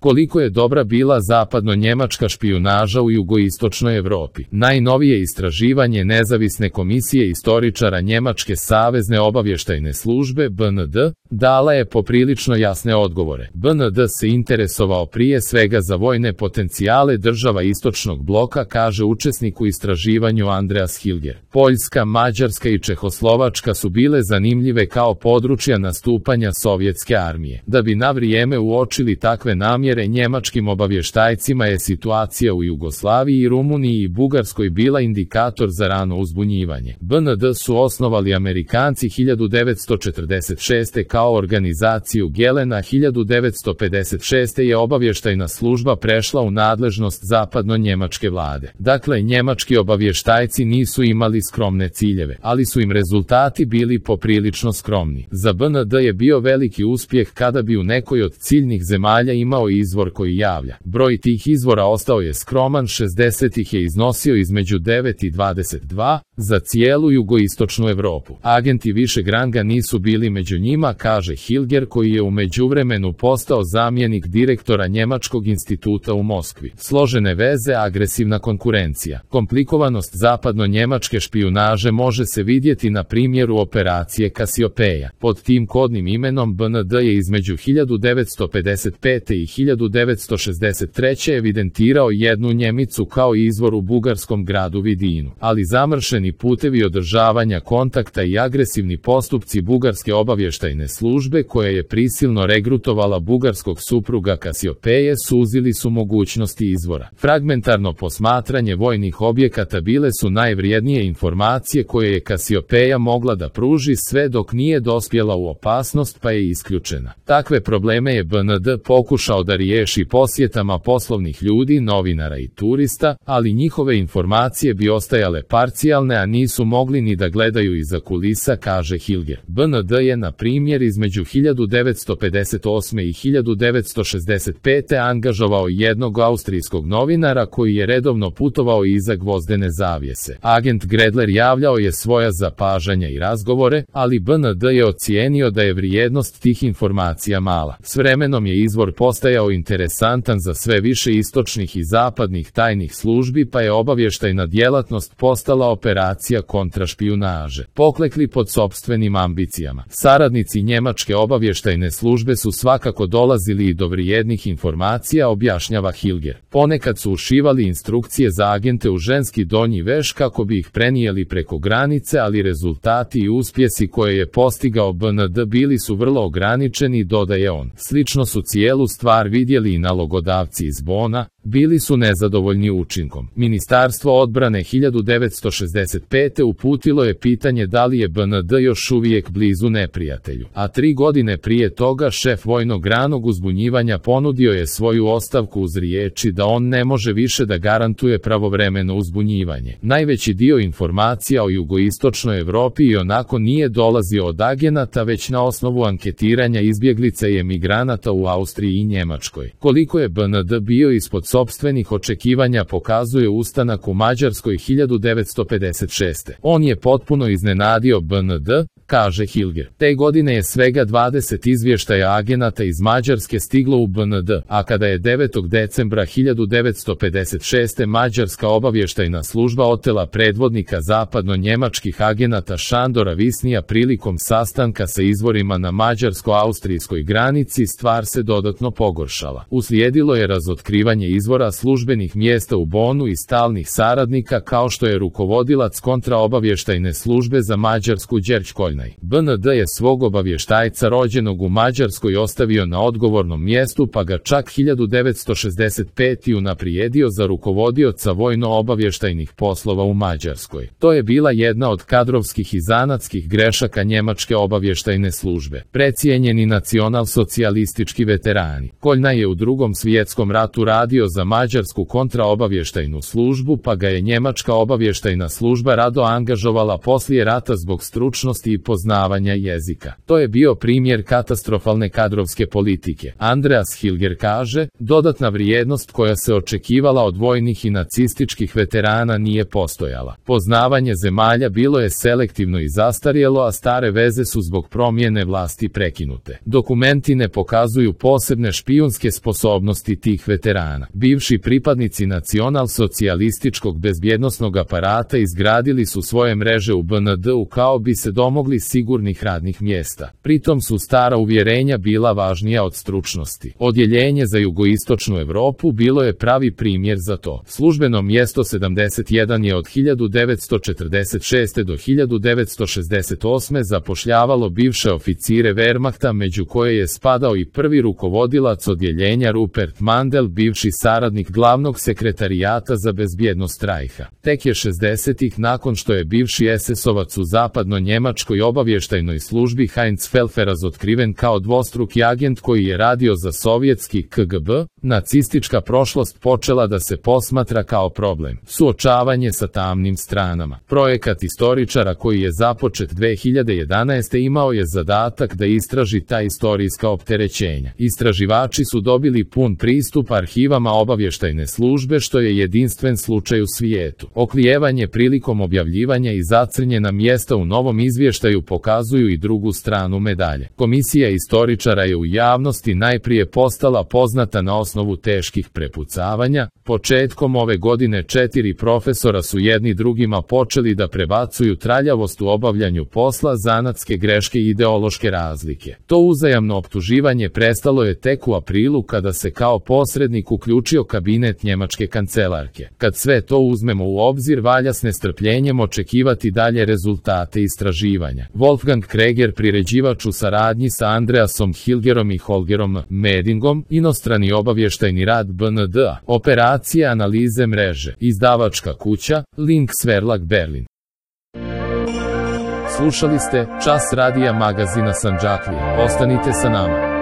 Koliko je dobra bila zapadno-njemačka špijunaža u jugoistočnoj Evropi. Najnovije istraživanje nezavisne komisije istoričara Njemačke savezne obavještajne službe BND dala je poprilično jasne odgovore. BND se interesovao prije svega za vojne potencijale država istočnog bloka, kaže učesnik u istraživanju Andreas Hilger. Poljska, Mađarska i Čehoslovačka su bile zanimljive kao područja nastupanja sovjetske armije. Da bi na vrijeme uočili takve namjere, njemačkim obavještajcima je situacija u Jugoslaviji, Rumuniji i Bugarskoj bila indikator za rano uzbunjivanje. BND su osnovali Amerikanci 1946. kao organizaciju Gelena. 1956. je obavještajna služba prešla u nadležnost zapadno-njemačke vlade. Dakle, njemački obavještajci nisu imali skromne ciljeve, ali su im rezultati bili poprilično skromni. Za BND je bio veliki uspjeh kada bi u nekoj od ciljnih zemalja imao izvor koji javlja. Broj tih izvora ostao je skroman, 60 ih je iznosio između 9 i 22, za cijelu jugoistočnu Evropu. Agenti višeg ranga nisu bili među njima, kaže Hilger, koji je u međuvremenu postao zamjenik direktora Njemačkog instituta u Moskvi. Složene veze, agresivna konkurencija. Komplikovanost zapadno-njemačke špijunaže može se vidjeti na primjeru operacije Kasiopeja. Pod tim kodnim imenom BND je između 1955. i 1963. evidentirao jednu Njemicu kao izvor u bugarskom gradu Vidinu, ali zamršeni putevi održavanja kontakta i agresivni postupci bugarske obavještajne službe, koja je prisilno regrutovala bugarskog supruga Kasiopeje, suzili su mogućnosti izvora. Fragmentarno posmatranje vojnih objekata bile su najvrijednije informacije koje je Kasiopeja mogla da pruži sve dok nije dospjela u opasnost, pa je isključena. Takve probleme je BND pokušao da riješi posjetama poslovnih ljudi, novinara i turista, ali njihove informacije bi ostajale parcijalne, a nisu mogli ni da gledaju iza kulisa, kaže Hilger. BND je, na primjer, između 1958. i 1965. angažovao jednog austrijskog novinara koji je redovno putovao iza gvozdene zavjese. Agent Gredler javljao je svoja zapažanja i razgovore, ali BND je ocijenio da je vrijednost tih informacija mala. S vremenom je izvor postajao interesantan za sve više istočnih i zapadnih tajnih službi, pa je obavještajna djelatnost postala operacija kontrašpijunaže. Poklekli pod sopstvenim ambicijama. Saradnici njemačke obavještajne službe su svakako dolazili i do vrijednih informacija, objašnjava Hilger. Ponekad su ušivali instrukcije za agente u ženski donji veš kako bi ih prenijeli preko granice, ali rezultati i uspjesi koje je postigao BND bili su vrlo ograničeni, dodaje on. Slično su cijelu stvar vidjeli i nalogodavci iz Bona, bili su nezadovoljni učinkom. Ministarstvo odbrane 1965. uputilo je pitanje da li je BND još uvijek blizu neprijatelju, a 3 godine prije toga šef vojnog ranog uzbunjivanja ponudio je svoju ostavku uz riječi da on ne može više da garantuje pravovremeno uzbunjivanje. Najveći dio informacija o jugoistočnoj Evropi i onako nije dolazio od agenata, već na osnovu anketiranja izbjeglica i emigranata u Austriji i Njemačkoj. Koliko je BND bio ispod sopstvenih očekivanja pokazuje ustanak u Mađarskoj 1956. On je potpuno iznenadio BND, kaže Hilger. Te godine je svega 20 izvještaja agenata iz Mađarske stiglo u BND, a kada je 9. decembra 1956. Mađarska obavještajna služba otela predvodnika zapadno-njemačkih agenata Šandora Visnija prilikom sastanka sa izvorima na mađarsko-austrijskoj granici, stvar se dodatno pogoršala. Uslijedilo je razotkrivanje izvora službenih mjesta u Bonu i stalnih saradnika, kao što je rukovodilac kontraobavještajne službe za Mađarsku Đerđ Koljnaj. BND je svog obavještajca rođenog u Mađarskoj ostavio na odgovornom mjestu, pa ga čak 1965. unaprijedio za rukovodioca vojno-obavještajnih poslova u Mađarskoj. To je bila jedna od kadrovskih i zanatskih grešaka njemačke obavještajne službe. Precijenjeni nacionalsocijalistički veterani. Koljnaj je u Drugom svjetskom ratu radio za mađarsku kontraobavještajnu službu, pa ga je njemačka obavještajna služba rado angažovala poslije rata zbog stručnosti i poznavanja jezika. To je bio primjer katastrofalne kadrovske politike. Andreas Hilger kaže, dodatna vrijednost koja se očekivala od vojnih i nacističkih veterana nije postojala. Poznavanje zemalja bilo je selektivno i zastarjelo, a stare veze su zbog promjene vlasti prekinute. Dokumenti ne pokazuju posebne špijunske sposobnosti tih veterana. Bivši pripadnici nacionalsocijalističkog bezbjednosnog aparata izgradili su svoje mreže u BND-u kao bi se domogli sigurnih radnih mjesta. Pritom su stara uvjerenja bila važnija od stručnosti. Odjeljenje za jugoistočnu Europu bilo je pravi primjer za to. Službeno mjesto 71 je od 1946. do 1968. zapošljavalo bivše oficire Wehrmachta, među koje je spadao i prvi rukovodilac odjeljenja Rupert Mandel, bivši saradnik glavnog sekretarijata za bezbjednost Reicha. Tek je 60-ih, nakon što je bivši SS-ovac u zapadno-njemačkoj obavještajnoj službi Heinz Pfeffer razotkriven kao dvostruki agent koji je radio za sovjetski KGB, nacistička prošlost počela da se posmatra kao problem. Suočavanje sa tamnim stranama. Projekat istoričara koji je započet 2011. imao je zadatak da istraži ta istorijska opterećenja. Istraživači su dobili pun pristup arhivama obavještajne službe, što je jedinstven slučaj u svijetu. Oklijevanje prilikom objavljivanja i zacrnjena mjesta u novom izvještaju pokazuju i drugu stranu medalje. Komisija istoričara je u javnosti najprije postala poznata na osnovu teških prepucavanja. Početkom ove godine 4 profesora su jedni drugima počeli da prebacuju traljavost u obavljanju posla, zanatske greške i ideološke razlike. To uzajamno optuživanje prestalo je tek u aprilu kada se kao posrednik uključio kabinet njemačke kancelarke. Kad sve to uzmemo u obzir, valja s nestrpljenjem očekivati dalje rezultate istraživanja. Wolfgang Kreger, priređivač u saradnji sa Andreasom Hilgerom i Holgerom Medingom, inostrani obavještajni rad BND-a, operacija analize mreže, izdavačka kuća, Links Verlag Berlin. Slušali ste Čas radija magazina Sandžaklija. Ostanite sa nama.